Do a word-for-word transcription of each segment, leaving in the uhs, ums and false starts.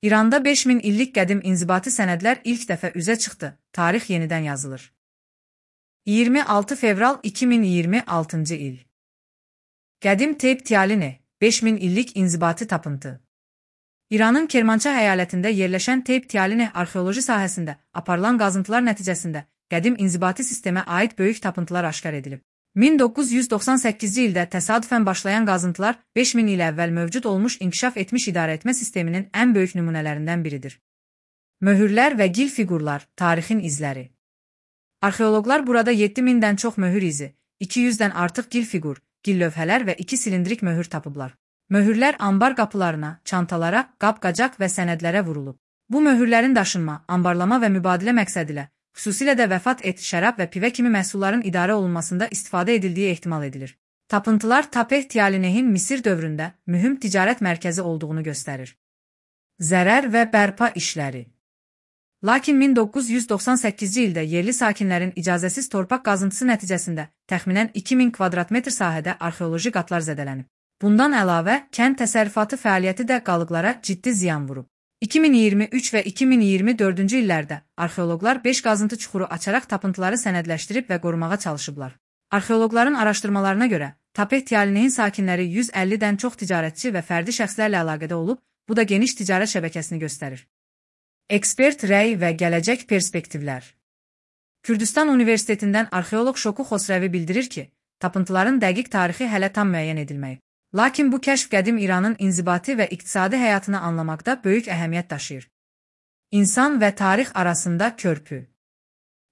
İranda beş min illik qədim inzibati sənədlər ilk dəfə üzə çıxdı. Tarix yenidən yazılır. iyirmi altı fevral iki min iyirmi altıncı il. Qədim Teyp Tialini, beş min illik inzibati tapıntı. İranın Kermanşah əyalətində yerləşən Teyp Tialini arxeoloji sahəsində aparılan qazıntılar nəticəsində qədim inzibati sistemə aid böyük tapıntılar aşkar edilib. min doqquz yüz doxsan səkkizinci ildə təsadüfən başlayan qazıntılar beş min il əvvəl mövcud olmuş inkişaf etmiş idarəetmə sisteminin ən böyük nümunələrindən biridir. Möhürlər və gil fiqurlar, tarixin izləri. Arxeoloqlar burada yeddi mindən çox möhür izi, iki yüzdən artıq gil fiqur, gil lövhələr və iki silindrik möhür tapıblar. Möhürlər ambar qapılarına, çantalara, qab-qacaq və sənədlərə vurulub. Bu möhürlərin daşınma, ambarlama və mübadilə məqsədilə, xüsusilə də vəfat et, şərab və pivə kimi məhsulların idarə olunmasında istifadə edildiyi ehtimal edilir. Tapıntılar Tapeh Tialinehin Misir dövründə mühüm ticarət mərkəzi olduğunu göstərir. Zərər və bərpa işləri. Lakin min doqquz yüz doxsan səkkizinci ildə yerli sakinlərin icazəsiz torpaq qazıntısı nəticəsində təxminən iki min kvadrat metr sahədə arxeoloji qatlar zədələnib. Bundan əlavə, kənd təsərrüfatı fəaliyyəti də qalıqlara ciddi ziyan vurub. iki min iyirmi üç və iki min iyirmi dördüncü illərdə arxeoloqlar beş qazıntı çuxuru açaraq tapıntıları sənədləşdirib və qorumağa çalışıblar. Arxeoloqların araşdırmalarına görə, Tapeh Tialinehin sakinləri yüz əllidən çox ticarətçi və fərdi şəxslərlə əlaqədə olub, bu da geniş ticarət şəbəkəsini göstərir. Ekspert rəy və gələcək perspektivlər. Kürdistan Universitetindən arxeoloq Şoku Xosrəvi bildirir ki, tapıntıların dəqiq tarixi hələ tam müəyyən edilməyib. Lakin bu kəşf qədim İranın inzibati və iqtisadi həyatını anlamaqda böyük əhəmiyyət daşıyır. İnsan və tarix arasında körpü.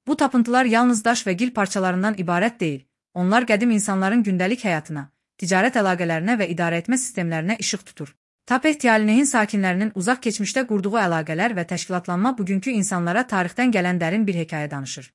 Bu tapıntılar yalnız daş və gil parçalarından ibarət deyil, onlar qədim insanların gündəlik həyatına, ticarət əlaqələrinə və idarəetmə sistemlərinə işıq tutur. Tapeh Tialinehin sakinlərinin uzaq keçmişdə qurduğu əlaqələr və təşkilatlanma bugünkü insanlara tarixdən gələn dərin bir hekayə danışır.